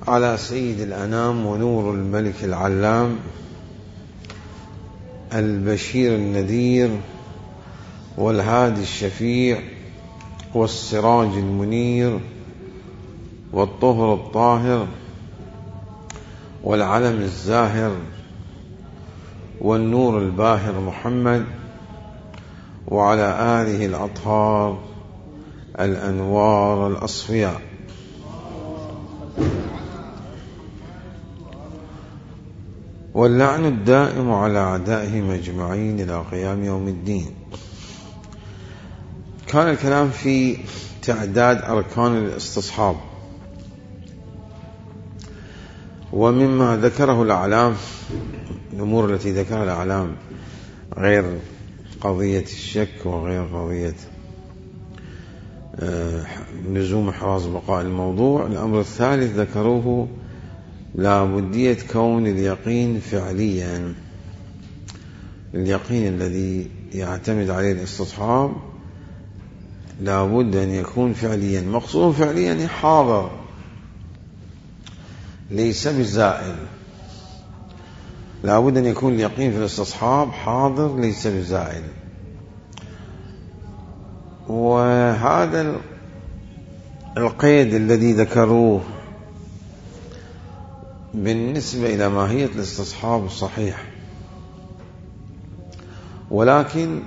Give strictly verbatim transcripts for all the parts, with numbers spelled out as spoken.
على سيد الأنام ونور الملك العلام البشير النذير والهادي الشفيع والسراج المنير والطهر الطاهر والعلم الزاهر والنور الباهر محمد وعلى آله الأطهار الأنوار الأصفياء. واللعن الدائم على أعدائهم أجمعين إلى قيام يوم الدين. كان الكلام في تعداد أركان الاستصحاب، ومما ذكره الأعلام الأمور التي ذكرها الأعلام غير قضية الشك وغير قضية لزوم إحراز بقاء الموضوع. الأمر الثالث ذكروه لا بدية كون اليقين فعليا، اليقين الذي يعتمد عليه الاستصحاب لا بد أن يكون فعليا. مقصود فعليا حاضر ليس بزائل، لا بد أن يكون اليقين في الاستصحاب حاضر ليس بزائل. وهذا القيد الذي ذكروه بالنسبة إلى ماهية الاستصحاب صحيح، ولكن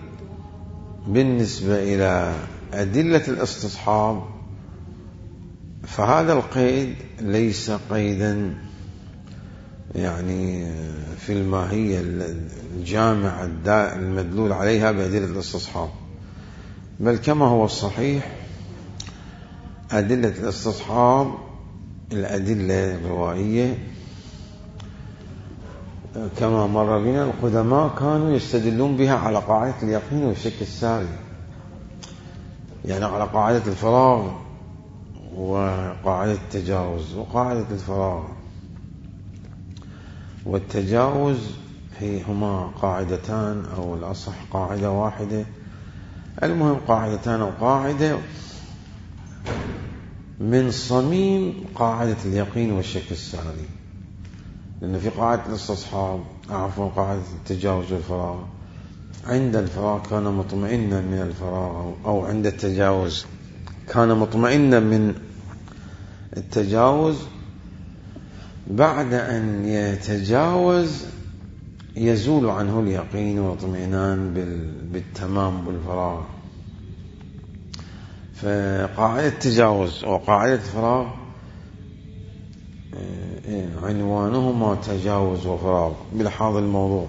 بالنسبة إلى أدلة الاستصحاب فهذا القيد ليس قيدا يعني في الماهية الجامعة المدلول عليها بأدلة الاستصحاب، بل كما هو الصحيح أدلة الاستصحاب الأدلة الروائية كما مر بنا القدماء كانوا يستدلون بها على قاعدة اليقين والشك الساري، يعني على قاعدة الفراغ وقاعدة التجاوز. وقاعدة الفراغ والتجاوز هي هما قاعدتان أو الأصح قاعدة واحدة، المهم قاعدتان أو قاعدة من صميم قاعدة اليقين والشك الساري. لأن في قاعدة الاستصحاب عفوا قاعدة التجاوز والفراغ عند الفراغ كان مطمئنا من الفراغ، أو عند التجاوز كان مطمئنا من التجاوز، بعد أن يتجاوز يزول عنه اليقين والاطمئنان بالتمام بالفراغ. فقاعدة التجاوز وقاعدة الفراغ عنوانهما تجاوز وفراغ بلحاظ الموضوع،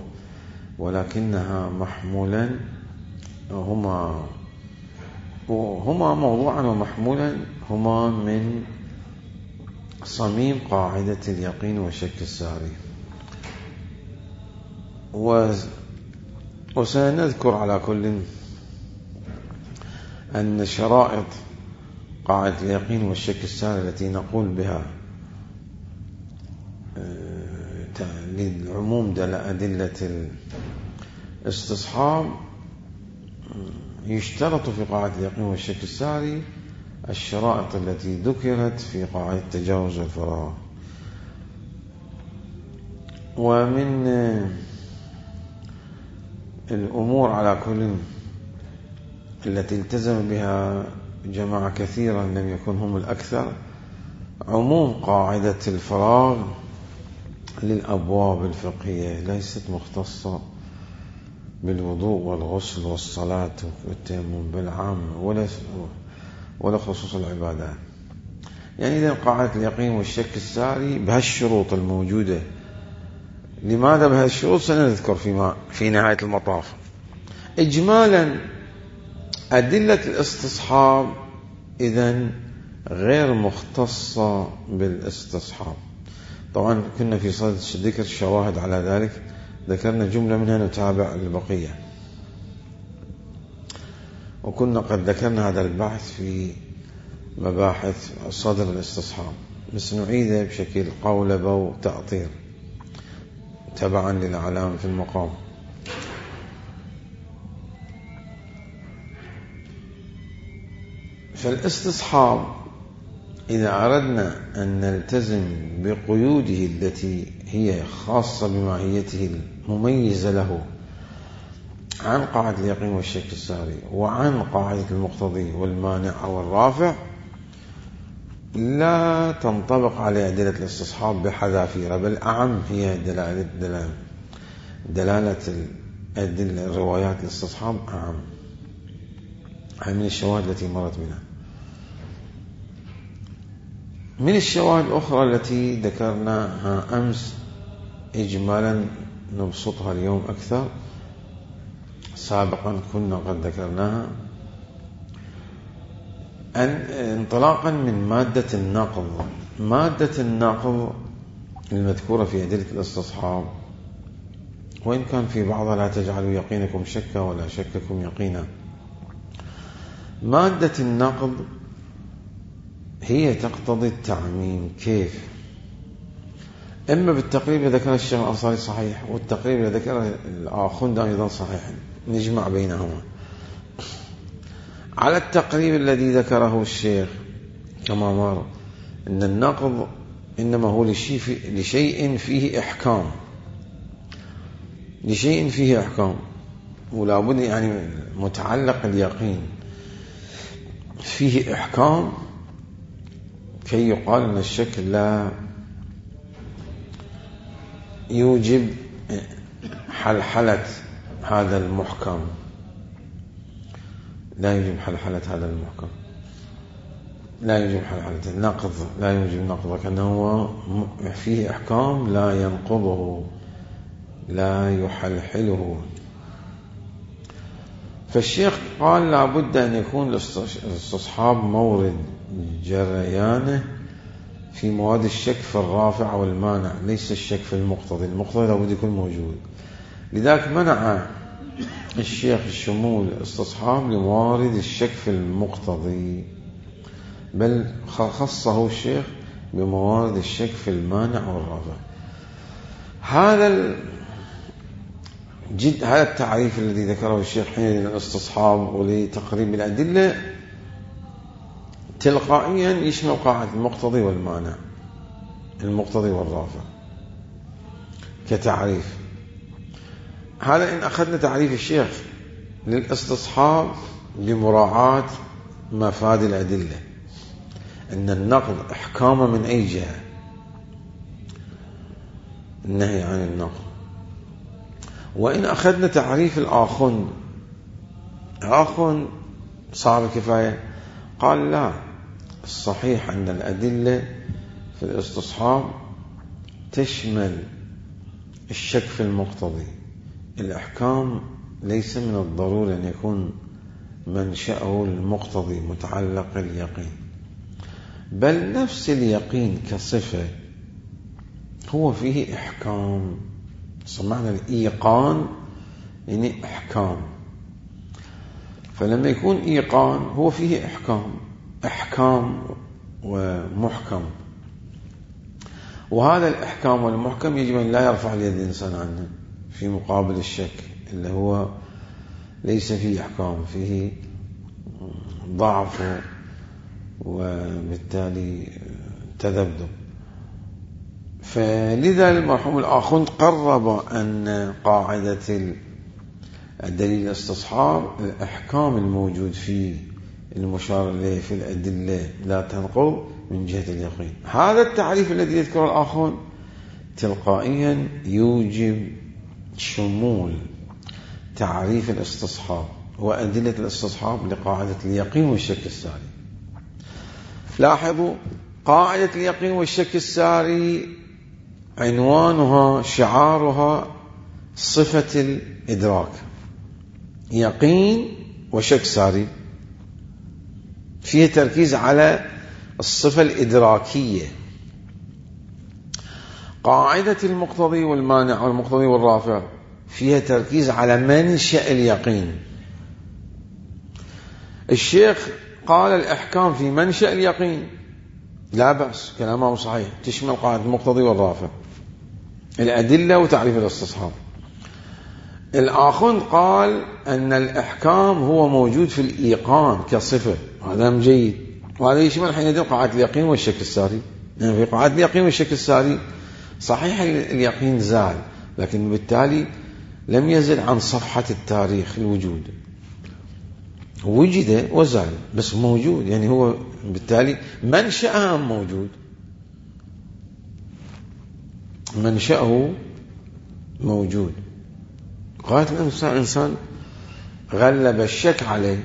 ولكنها محمولا هما هما موضوعا ومحمولا هما من صميم قاعدة اليقين والشك الساري. وسنذكر على كل أن شرائط قاعدة اليقين والشك الساري التي نقول بها للعموم دل أدلة الاستصحاب يشترط في قاعدة اليقين والشك الساري الشرائط التي ذكرت في قاعدة التجاوز والفراغ. ومن الأمور على كل التي التزم بها جماعة كثيرا لم يكن هم الأكثر عموم قاعدة الفراغ للأبواب الفقهية، ليست مختصة بالوضوء والغسل والصلاة والتيمم بالعام ولا ولا خصوص العبادات. يعني إذا قاعدة اليقين والشك الساري بهالشروط الموجودة. لماذا بهالشروط سنذكر فيما في نهاية المطاف. إجمالا أدلة الاستصحاب إذن غير مختصة بالاستصحاب. طبعا كنا في صدد ذكر الشواهد على ذلك، ذكرنا جملة منها نتابع البقية، وكنا قد ذكرنا هذا البحث في مباحث صدر الاستصحاب، بس نعيده بشكل قولبة وتأطير تبعا للأعلام في المقام. فالاستصحاب إذا أردنا أن نلتزم بقيوده التي هي خاصة بماهيته المميزة له عن قاعدة اليقين والشك الساري وعن قاعدة المقتضي والمانع والرافع، لا تنطبق على أدلة الاستصحاب بحذافيرها، بل أعم هي دلالة دلالة, دلالة الأدلة الروايات الاستصحاب أعم من الشواهد التي مرت بنا. من الشواهد الأخرى التي ذكرناها أمس إجمالا نبسطها اليوم أكثر، سابقا كنا قد ذكرناها، أن انطلاقا من مادة النقض. مادة النقض المذكورة في أدلة الاستصحاب، وإن كان في بعضها لا تجعلوا يقينكم شكا ولا شككم يقينا، مادة النقض هي تقتضي التعميم. كيف؟ إما بالتقريب اللي ذكره الشيخ الأنصاري صحيح، والتقريب اللي ذكره الآخوند أيضا صحيح، نجمع بينهما. على التقريب الذي ذكره الشيخ كما مر أن النقض إنما هو لشيء فيه إحكام، لشيء فيه إحكام، ولا بد يعني متعلق اليقين فيه إحكام كي يقال أن الشك لا يوجب حلحلة هذا المحكم، لا يوجب حلحلة هذا المحكم، لا يوجب حلحلة النقض، لا يوجب نقضه، كأنه فيه إحكام لا ينقضه لا يحلحله. فالشيخ قال لا بد أن يكون الاستصحاب مورد جريانه في مواد الشك في الرافع والمانع، ليس الشك في المقتضي. المقتضي لا بد يكون موجود، لذلك منع الشيخ الشمول الاستصحاب لموارد الشك في المقتضي، بل خصه الشيخ بموارد الشك في المانع والرافع. هذا جد هذا التعريف الذي ذكره الشيخ حين للاستصحاب ولتقريب الأدلة تلقائيا يشمل قاعدة المقتضي والمانع، المقتضي والرافع كتعريف. هذا إن أخذنا تعريف الشيخ للاستصحاب بمراعاة مفاد الأدلة، أن النقض إحكام من أي جهة، النهي عن النقض. وإن أخذنا تعريف الآخوند، آخوند صاحب الكفاية قال لا، الصحيح أن الأدلة في الاستصحاب تشمل الشك في المقتضي. الإحكام ليس من الضروري أن يكون منشأه المقتضي متعلق اليقين، بل نفس اليقين كصفة هو فيه إحكام. سمعنا الإيقان يعني إحكام، فلما يكون إيقان هو فيه إحكام، إحكام ومحكم، وهذا الإحكام والمحكم يجب أن لا يرفع اليد الإنسان عنه في مقابل الشك اللي هو ليس فيه إحكام، فيه ضعف وبالتالي تذبذب. فلذا المرحوم الآخوند قرب أن قاعدة الدليل الاستصحاب الإحكام الموجود فيه المشار إليه في الأدلة لا تنقض من جهة اليقين. هذا التعريف الذي يذكره الآخوند تلقائيا يوجب شمول تعريف الاستصحاب وأدلة الاستصحاب لقاعدة اليقين والشك الساري. لاحظوا قاعدة اليقين والشك الساري عنوانها شعارها صفة الإدراك، يقين وشك ساري، فيه تركيز على الصفة الإدراكية. قاعدة المقتضي والمانع والمقتضي والرافع فيها تركيز على منشأ اليقين. الشيخ قال الإحكام في منشأ اليقين لا بأس، كلامه صحيح، تشمل قاعدة المقتضي والرافع، الأدلة وتعريف الاستصحاب. الآخوند قال أن الإحكام هو موجود في الإيقان كصفة، هذا جيد، وهذا يشمل حينئذ قاعدة اليقين والشك الساري. يعني في قاعدة اليقين والشك الساري صحيح اليقين زال، لكن بالتالي لم يزل عن صفحة التاريخ الوجود، وجد وزال بس موجود، يعني هو بالتالي منشأه موجود، منشأه موجود. قاعدة الإنسان إنسان غلب الشك عليه،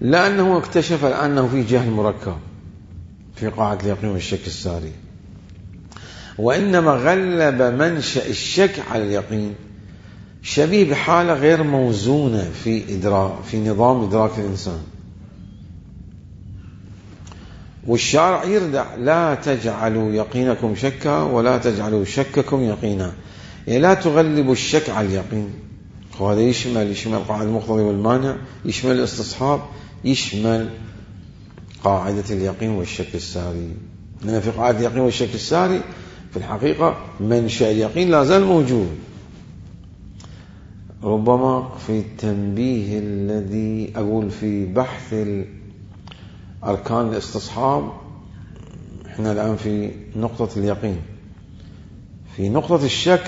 لأنه اكتشف أنه في جهل مركب في قاعدة اليقين والشك الساري، وإنما غلب منشأ الشك على اليقين شبيه بحالة غير موزونة في إدراك في نظام إدراك الإنسان. والشارع يردع لا تجعلوا يقينكم شكا ولا تجعلوا شككم يقينا، يعني لا تغلبوا الشك على اليقين. وهذا يشمل يشمل قاعدة المقتضي والمانع، يشمل الاستصحاب، يشمل قاعدة اليقين والشك الساري. لأن في قاعدة اليقين والشك الساري في الحقيقة منشأ اليقين لا زال موجود. ربما في التنبيه الذي أقول في بحث أركان الاستصحاب، احنا الآن في نقطة اليقين. في نقطة الشك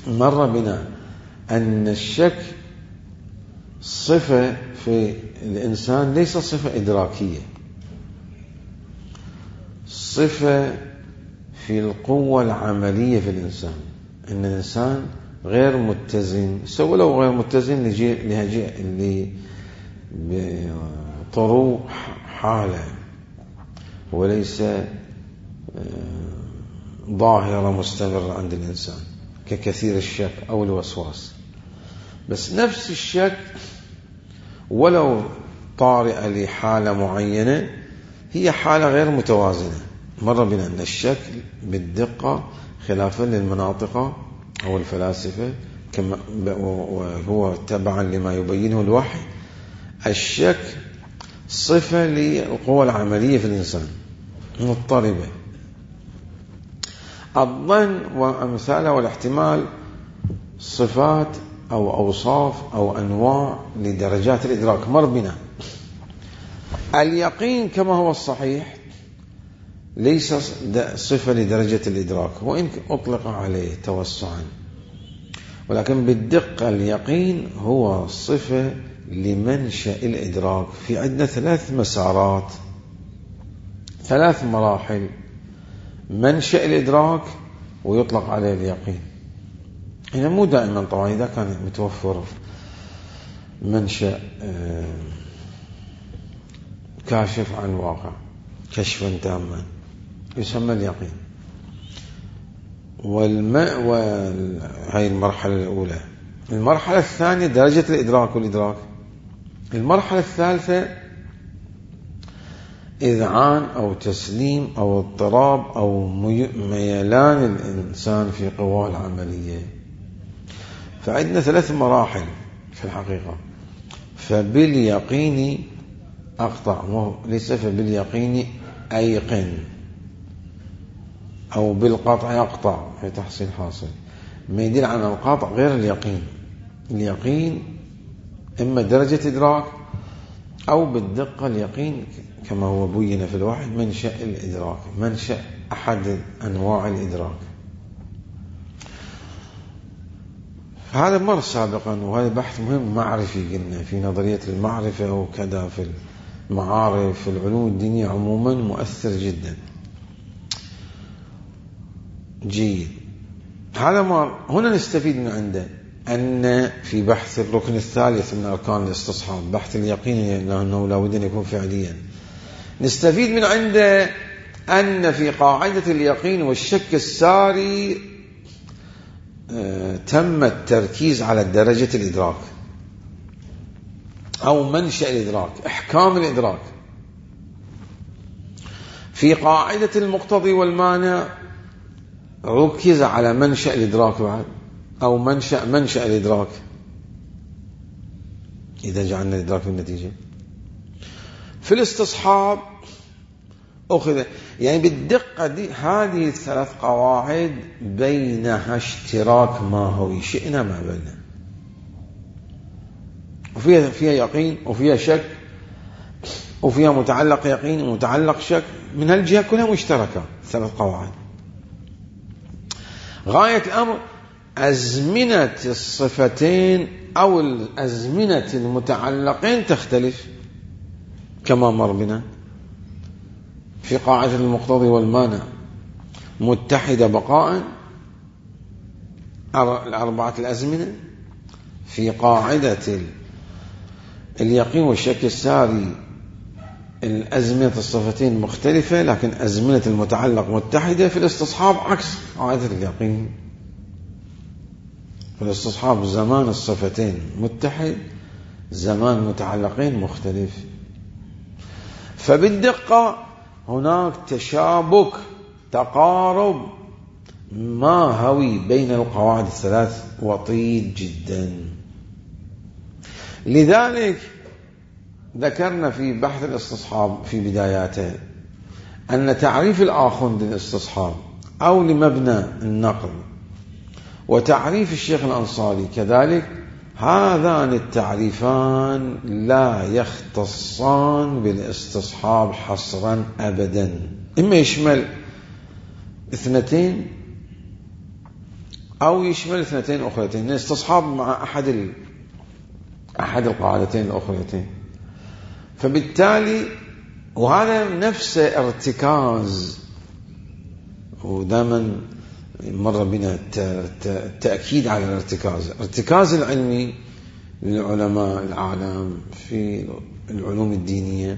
مر بنا أن الشك صفة في الإنسان، ليس صفة إدراكية، صفة في القوة العملية في الإنسان. أن الإنسان غير متزن، سوى لو غير متزن بطروق حالة وليس ظاهرة مستمرة عند الإنسان ككثير الشك أو الوسواس. بس نفس الشك ولو طارئة لحالة معينة هي حالة غير متوازنة. مر بنا أن الشك بالدقة خلافا للمناطق أو الفلاسفة، كما وهو تبعا لما يبينه الوحي، الشك صفة للقوة العملية في الإنسان مضطربة. الظن وأمثاله والاحتمال صفات أو أوصاف أو أنواع لدرجات الإدراك. مر بنا اليقين كما هو الصحيح ليس صفة لدرجة الإدراك، وإن أطلق عليه توسعا، ولكن بالدقة اليقين هو صفة لمنشأ الإدراك. في عندنا ثلاث مسارات، ثلاث مراحل: منشأ الإدراك ويطلق عليه اليقين. هنا مو دائما طبعا، إذا كان متوفر منشأ كاشف عن واقع كشفا تاما يسمى اليقين. والماء وهي المرحلة الأولى. المرحلة الثانية درجة الإدراك والإدراك. المرحلة الثالثة إذعان أو تسليم أو اضطراب أو ميلان الإنسان في قواه العملية. فعندنا ثلاث مراحل في الحقيقة. فباليقين أقطع، ليس فباليقين أيقن، أو بالقطع يقطع في تحصيل حاصل، ما يدل على القطع غير اليقين. اليقين إما درجة إدراك أو بالدقة اليقين كما هو بين في الوحي منشأ الإدراك، منشأ أحد أنواع الإدراك. هذا مر سابقا، وهذا بحث مهم معرفي قلنا في نظرية المعرفة وكذا، في المعارف في العلوم الدينية عموما مؤثر جدا. جيد. هذا ما هنا نستفيد من عنده أن في بحث الركن الثالث من أركان الاستصحاب، بحث اليقين لأنه لا بد أن يكون فعليا، نستفيد من عنده أن في قاعدة اليقين والشك الساري تم التركيز على درجة الإدراك أو منشأ الإدراك، إحكام الإدراك. في قاعدة المقتضي والمانع ركز على منشأ الإدراك بعد، أو منشأ منشأ الإدراك إذا جعلنا الإدراك بالنتيجة. في الاستصحاب أخذ يعني بالدقة دي هذه الثلاث قواعد بينها اشتراك ماهوي شئنا ما بيننا. وفيها فيها يقين وفيها شك وفيها متعلق يقين ومتعلق شك، من هالجهة كلها مشتركة ثلاث قواعد. غاية الأمر أزمنة الصفتين أو الأزمنة المتعلقين تختلف كما مر بنا. في قاعدة المقتضي والمانع متحدة بقاء الأربعة الأزمنة. في قاعدة اليقين والشك الساري الأزمنة الصفتين مختلفة لكن أزمنة المتعلق متحدة. في الاستصحاب عكس قاعدة اليقين، في الاستصحاب زمان الصفتين متحد، زمان متعلقين مختلف. فبالدقة هناك تشابك تقارب ماهوي بين القواعد الثلاث وطيد جدا. لذلك ذكرنا في بحث الاستصحاب في بداياته أن تعريف الآخوند للاستصحاب أو لمبنى النقل وتعريف الشيخ الأنصاري كذلك، هذان التعريفان لا يختصان بالاستصحاب حصرا أبدا، إما يشمل اثنتين أو يشمل اثنتين أخرتين، الاستصحاب مع أحد ال... أحد القاعدتين الأخرتين. فبالتالي وهذا نفس ارتكاز، ودائما مر بنا التأكيد على الارتكاز، ارتكاز العلمي للعلماء الأعلام في العلوم الدينية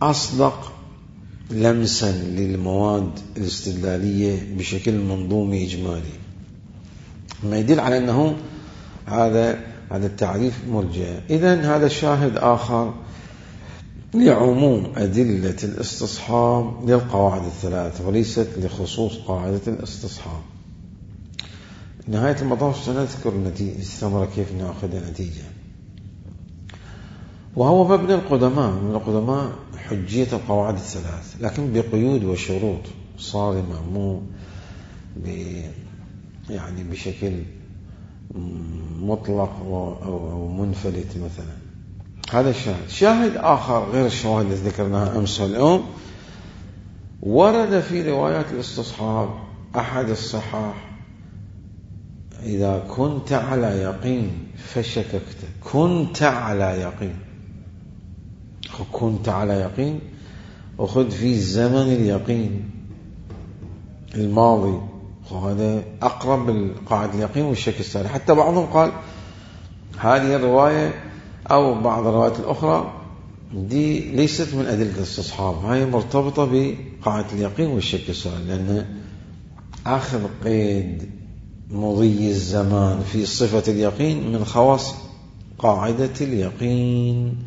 أصدق لمسا للمواد الاستدلالية بشكل منظومي إجمالي، ما يدل على أنه هذا هذا التعريف مرجع. إذن هذا شاهد آخر لعموم أدلة الاستصحاب للقواعد الثلاث وليست لخصوص قاعدة الاستصحاب. نهاية المطاف سنذكر النتيجة الثمرة كيف نأخذ نتيجة. وهو مبنى القدماء من القدماء حجية القواعد الثلاث، لكن بقيود وشروط صارمة، مو يعني بشكل مطلق أو منفلت مثلا. هذا الشاهد. شاهد آخر غير الشواهد التي ذكرناها أمس واليوم، ورد في روايات الاستصحاب أحد الصحاح: إذا كنت على يقين فشككت. كنت على يقين، كنت على يقين وخذ في زمن اليقين الماضي، وهذا أقرب القاعدة اليقين والشك الساري. حتى بعضهم قال هذه الرواية أو بعض الروايات الأخرى دي ليست من أدلة الاستصحاب، هاي مرتبطة بقاعدة اليقين والشك الساري، لأن آخر قيد مضي الزمان في صفة اليقين من خواص قاعدة اليقين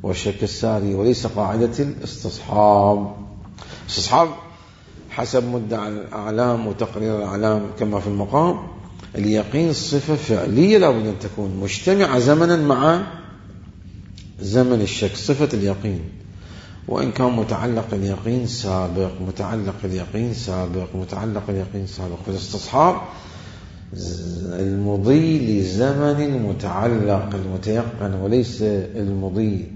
والشك الساري وليس قاعدة الاستصحاب. الاستصحاب حسب مدعى الأعلام وتقرير الأعلام كما في المقام، اليقين صفة فعلية لابد أن تكون مجتمعة زمنا مع زمن الشك، صفة اليقين، وإن كان متعلق اليقين سابق، متعلق اليقين سابق، متعلق اليقين سابق. في الاستصحاب المضي لزمن المتعلق المتيقن وليس المضي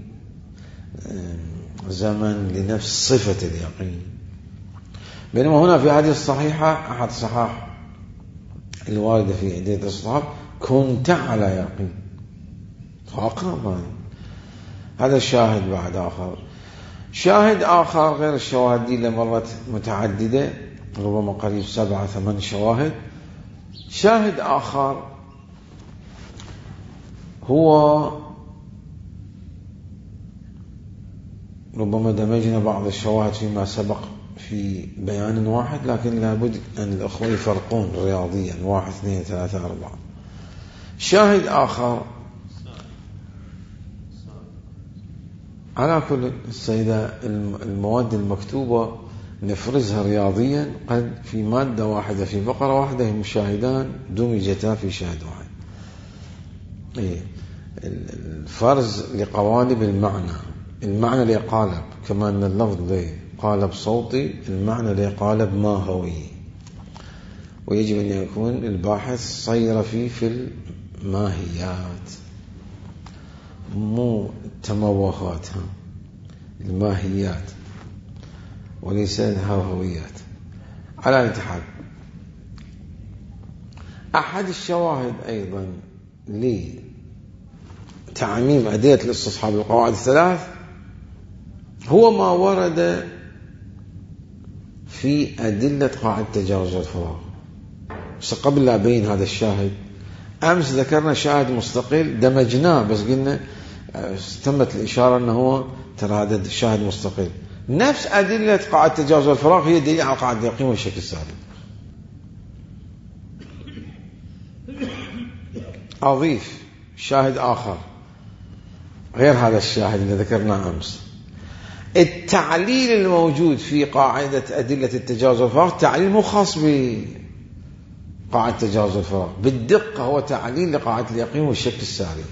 زمن لنفس صفة اليقين. بينما هنا في هذه الصحيحة أحد صحاح الواردة في أدلة الاستصحاب كنت على يقين، فأقرب. هذا الشاهد بعد آخر. شاهد آخر غير الشواهد دي لمرت متعددة، ربما قريب سبعة ثمان شواهد. شاهد آخر هو ربما دمجنا بعض الشواهد فيما سبق في بيان واحد، لكن لابد أن الأخوة يفرقون رياضيا، واحد اثنين ثلاثة أربعة. شاهد آخر على كل السيدة المواد المكتوبة نفرزها رياضيا، قد في مادة واحدة في فقرة واحدة المشاهدان دمجتا في شاهد واحد. إيه الفرز لقوالب المعنى، المعنى لقالب، كما أن اللفظ ليه قالب صوتي، المعنى لقالب ماهوي، ويجب أن يكون الباحث صير فيه في الماهيات. مو تموهات، الماهيات وليس الهوهويات. على أي حال، أحد الشواهد أيضا لتعميم أدلة الاستصحاب القواعد الثلاث هو ما ورد في أدلة قاعدة تجاوز الفراغ. بس قبل لا أبين هذا الشاهد، أمس ذكرنا شاهد مستقل دمجناه، بس قلنا تمت الإشارة أنه هو ترى هذا الشاهد مستقل. نفس أدلة قاعدة تجاوز الفراغ هي دليل على قاعدة اليقين والشك السالب. أضيف شاهد آخر غير هذا الشاهد اللي ذكرناه أمس. التعليل الموجود في قاعدة أدلة التجاوز الفراغ تعليل مو خاص بقاعدة تجاوز الفراغ، بالدقة هو تعليل لقاعدة اليقين والشك السالب.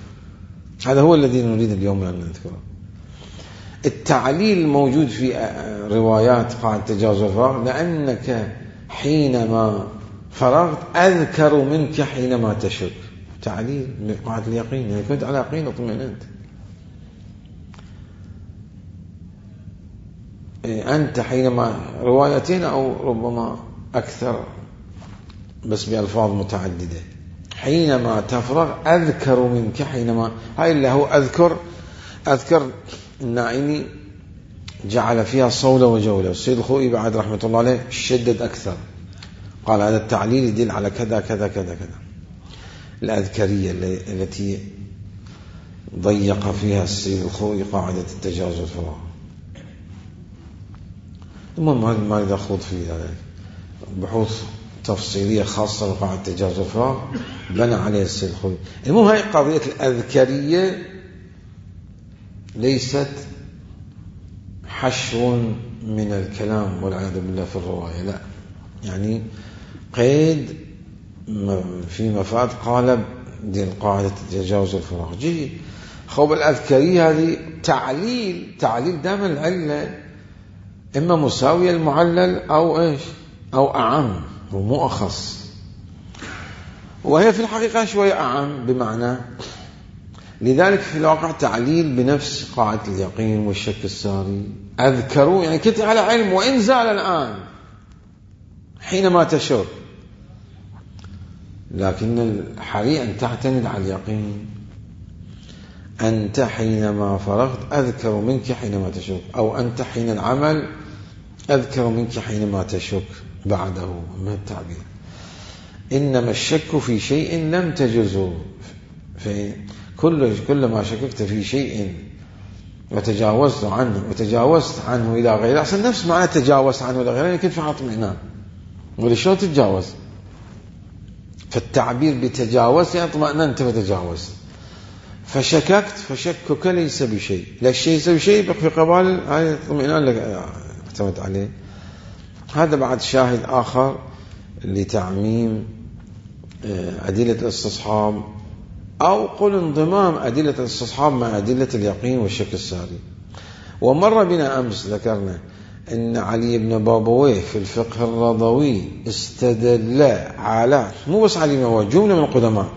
هذا هو الذي نريد اليوم أن نذكره. التعليل الموجود في روايات قاعدة تجاوز الفراغ: لأنك حينما فرغت أذكر منك حينما تشك. تعليل لقاعدة اليقين، يعني كنت على يقين اطمئننت. أنت حينما، روايتين أو ربما أكثر بس بألفاظ متعددة: حينما تفرغ أذكر منك حينما. هاي اللي هو أذكر أذكر النائني جعل فيها صولة وجولة. السيد الخوئي بعد رحمة الله عليه شدد أكثر، قال هذا التعليل يدل على كذا كذا كذا كذا. الأذكرية التي ضيق فيها السيد الخوئي قاعدة التجاوز الفراغ. المهم ما إذا أخوض في ذلك بحوث تفصيلية خاصة بقاعدة التجاوز الفراغ بنى عليه السيد الخوئي. المهم هاي قضية الأذكرية ليست حشو من الكلام والعياذ بالله في الرواية، لا، يعني قيد في مفاد قالب دين قاعدة تجاوز الفراغ. جيد. خوب الأذكرية هذه تعليل تعليل دائما العلة إما مساوية المعلل أو إيش أو أعم ومو أخص، وهي في الحقيقة شوية أعم بمعنى. لذلك في الواقع تعليل بنفس قاعدة اليقين والشك الساري. أذكروا يعني كنت على علم وإن زال الآن حينما تشك، لكن الحري أن تعتمد على اليقين. أنت حينما فرغت أذكر منك حينما تشك، أو أنت حين العمل أذكر منك حينما تشك بعده من التعبير. إنما الشك في شيء لم تجزه، كل كلما شككت في شيء وتجاوزت عنه وتجاوزت عنه إلى غيره، أصلا نفس معنى تجاوزت عنه إلى غيره يمكن في اطمئنان، ولشون تتجاوز؟ فالتعبير بتجاوز يعني اطمئننت فتجاوزت. فشككت فشكك ليس بشيء، لا الشيء ليس بشيء في قبال هاي اطمئنان لك اعتمد عليه. هذا بعد شاهد آخر لتعميم أدلة الاستصحاب، أو قل انضمام أدلة الاستصحاب مع أدلة اليقين والشك الساري. ومر بنا أمس ذكرنا أن علي بن بابويه في الفقه الرضوي استدل على، مو بس علي بن بابويه، جملة من القدماء،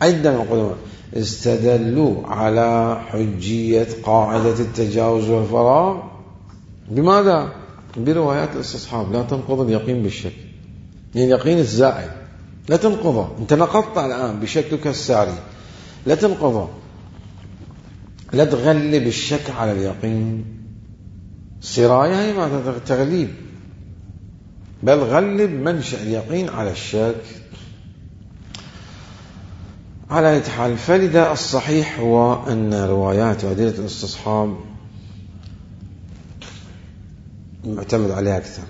عدة من القدماء استدلوا على حجية قاعدة التجاوز والفراغ. بماذا؟ بروايات الاستصحاب لا تنقض اليقين بالشك، يعني اليقين الزائد لا تنقضه. انت نقضت الآن بشكك الساري، لا تنقضه، لا تغلب الشك على اليقين. سراية هي ما تغليب، بل غلب منشأ اليقين على الشك. على أي حال، فلذا الصحيح هو أن روايات وأدلة الاستصحاب معتمد عليها أكثر.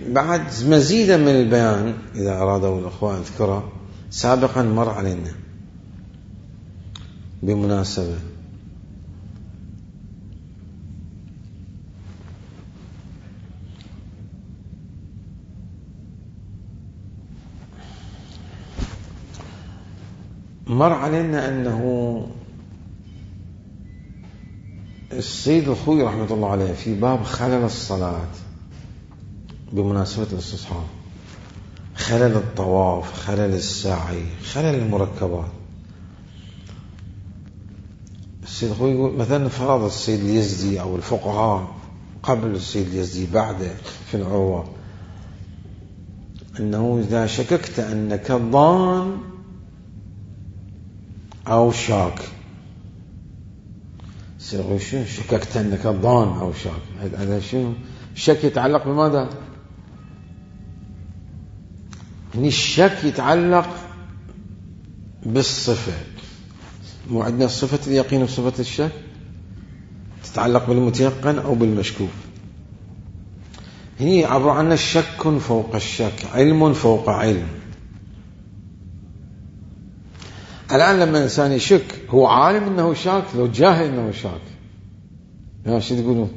بعد مزيدا من البيان إذا أرادوا الأخوة أذكره، سابقا مر علينا بمناسبة مر علينا أنه السيد الخوئي رحمة الله عليه في باب خلل الصلاة بمناسبة الاستصحاب، خلل الطواف، خلل السعي، خلل المركبات، السيد الخوي يقول مثلا فرض السيد اليزدي أو الفقهاء قبل السيد اليزدي بعده في العروة أنه إذا شككت أنك ضان أو شاك، السيد الخوي شنو شككت أنك ضان أو شاك؟ هذا شنو؟ الشك يتعلق بماذا؟ يعني الشك يتعلق بالصفة، مو عندنا صفة اليقين وصفة الشك تتعلق بالمتيقن أو بالمشكوك. هي عبارة عن شك فوق الشك، علم فوق علم. الآن لما الإنسان يشك هو عالم أنه شاك لو جاهل أنه شاك؟ يا شو تقولون؟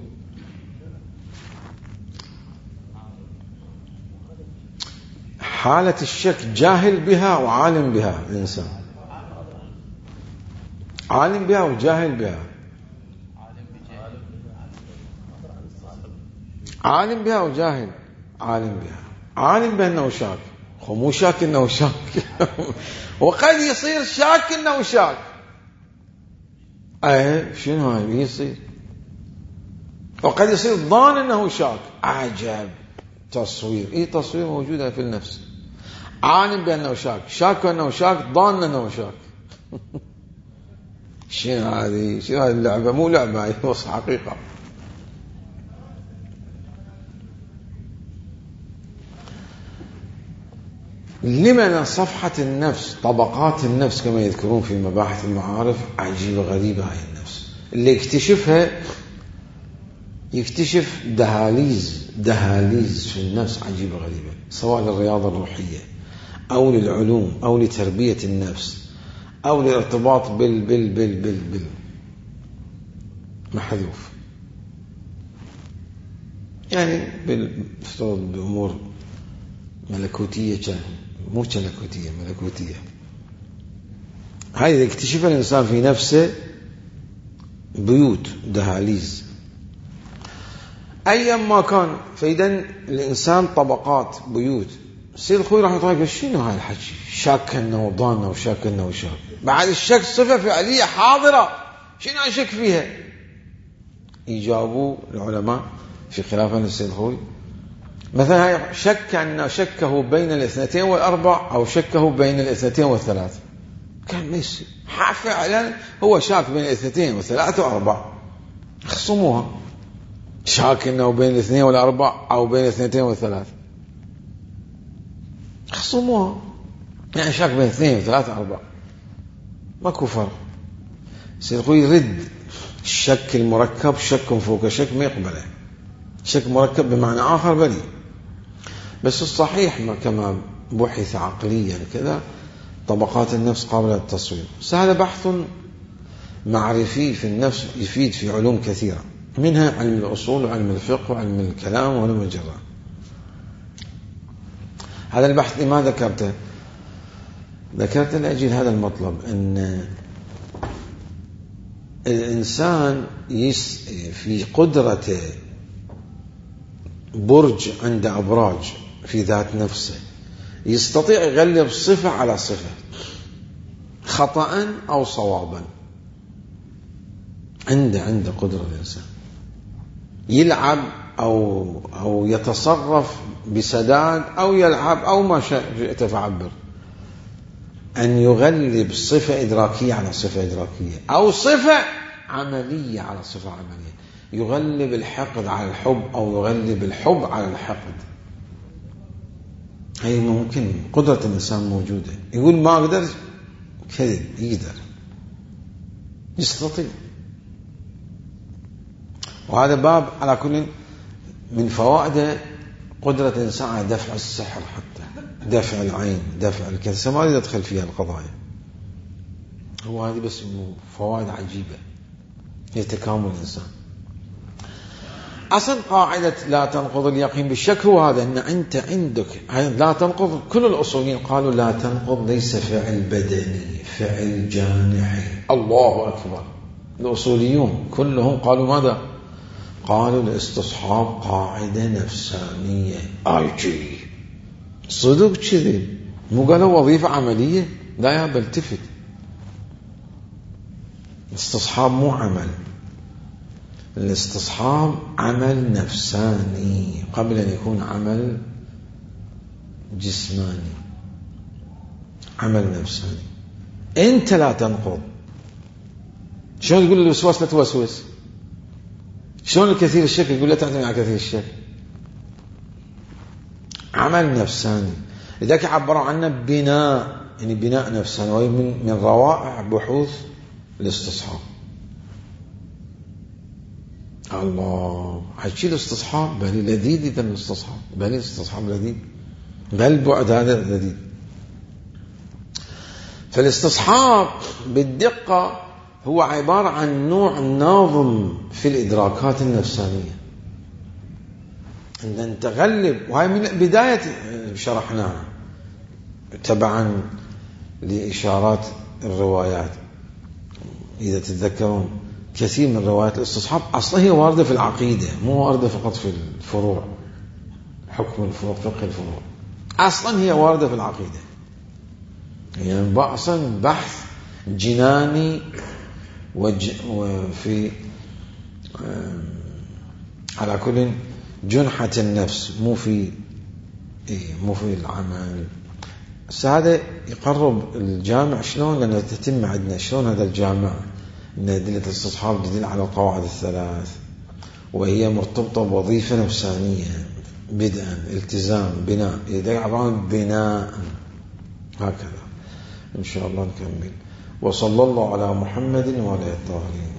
حالة الشك جاهل بها وعالم بها الإنسان، عالم بها وجاهل بها، عالم بها وجاهل، عالم بها، عالم بأنه شاك، هو مو شاك أنه شاك وقد يصير شاك أنه شاك. أيه شنو هاي يصير؟ وقد يصير ضان أنه شاك. عجب تصوير، إيه تصوير موجودة في النفس. عالم بأنه شاك، شاك أنه شاك، ضان أنه شاك شنو هذه؟ شنو هذه اللعبة؟ مو لعبة هي بس حقيقة. لمن صفحة النفس، طبقات النفس كما يذكرون في مباحث المعارف، عجيبة غريبة هاي النفس. اللي يكتشفها يكتشف دهاليز دهاليز في النفس عجيبة غريبة، سواء للرياضة الروحية أو للعلوم أو لتربية النفس أو للارتباط بال بال بال بال بال محذوف، يعني بالافتراض بأمور ملكوتية، كان مو ملكوتية ملكوتية. هذا يكتشف الإنسان في نفسه بيوت دهاليز أيا ما كان. فإذا الإنسان طبقات بيوت. السيد الخوي رحمه الله يقول شنو هاي الحكي؟ شاك أنه ضان أو شاك أنه شاك. بعد الشك صفة فعلية حاضرة، شنو أشك فيها؟ يجابوا العلماء في خلافة السيد الخوي مثلا هاي شك أنه شكه بين الاثنتين والأربع أو شكه بين الاثنتين والثلاث، كان ميسي فعلا هو شاك بين الاثنتين والثلاث وأربع، خصموها. شاك أنه بين الاثنين والأربع أو بين الاثنتين والثلاث، خصموها. يعني شاك بين اثنين وثلاثة وأربع، ماكو فرق. السيد الخوي يرد الشك المركب، شك فوق شك ما يقبله. شك مركب بمعنى آخر بريء، بس الصحيح ما كما بحث عقليا كذا طبقات النفس قابلة للتصوير. هذا بحث معرفي في النفس يفيد في علوم كثيرة، منها علم الأصول وعلم الفقه وعلم الكلام وعلم الجراح. هذا البحث لما ذكرته؟ ذكرت لأجل هذا المطلب، أن الإنسان يس في قدرته برج عند أبراج في ذات نفسه، يستطيع يغلب صفة على صفة خطأ أو صوابا. عنده عنده قدرة الإنسان يلعب أو أو يتصرف بسداد أو يلعب أو ما شئت فعبر، أن يغلب صفة إدراكية على صفة إدراكية أو صفة عملية على صفة عملية، يغلب الحقد على الحب أو يغلب الحب على الحقد. هي ممكن، قدرة الإنسان موجودة. يقول ما أقدر، كذب، يقدر، يستطيع. وهذا باب على كل من فوائده قدرة الإنسان على دفع السحر، حتى دفع العين، دفع الكذا، ما يدخل فيها القضايا. هو هذه بس فوائد عجيبة هي تكامل الإنسان. أصل قاعدة لا تنقض اليقين بالشك هو هذا، أن أنت عندك لا تنقض. كل الأصوليين قالوا لا تنقض ليس فعل بدني، فعل جانحي. الله أكبر. الأصوليون كلهم قالوا ماذا؟ قالوا الاستصحاب قاعدة نفسانية. آي جي صدق كذب، مو قالوا وظيفة عملية؟ لا يا بل تفت. الاستصحاب مو عمل، الاستصحاب عمل نفساني قبل أن يكون عمل جسماني، عمل نفساني. أنت لا تنقض. شلون تقول الوسواس لا توسوس؟ شلون الكثير الشك يقول لا تعتمد على كثير الشك؟ عمل نفساني. لذلك عبروا عنه بناء، يعني بناء نفساني، وهي من من روائع بحوث الاستصحاب. الله حكي الاستصحاب بل لذيذ، إذا الاستصحاب بل الاستصحاب لذيذ، بل بعد هذا لذيذ. فالاستصحاب بالدقة هو عبارة عن نوع ناظم في الإدراكات النفسانية أن تغلب، وهي من بداية شرحناها تبعا لإشارات الروايات. إذا تتذكرون كثير من روايات الاستصحاب أصلا هي واردة في العقيدة، مو واردة فقط في الفروع، حكم الفروع، فقه الفروع، أصلا هي واردة في العقيدة. يعني أصلا بحث جناني وج... وفي على كل جنحة النفس، مو في إيه مو في العمل. بس هذا يقرب الجامع شلون، لأنه تتم عندنا شلون هذا الجامع إن أدلة الاستصحاب تدل على القواعد الثلاث، وهي مرتبطة بوظيفة نفسانية، بدءا التزام بناء، إذا عبارة بناء هكذا. إن شاء الله نكمل. وصلى الله على محمد وعلى آله الطاهرين.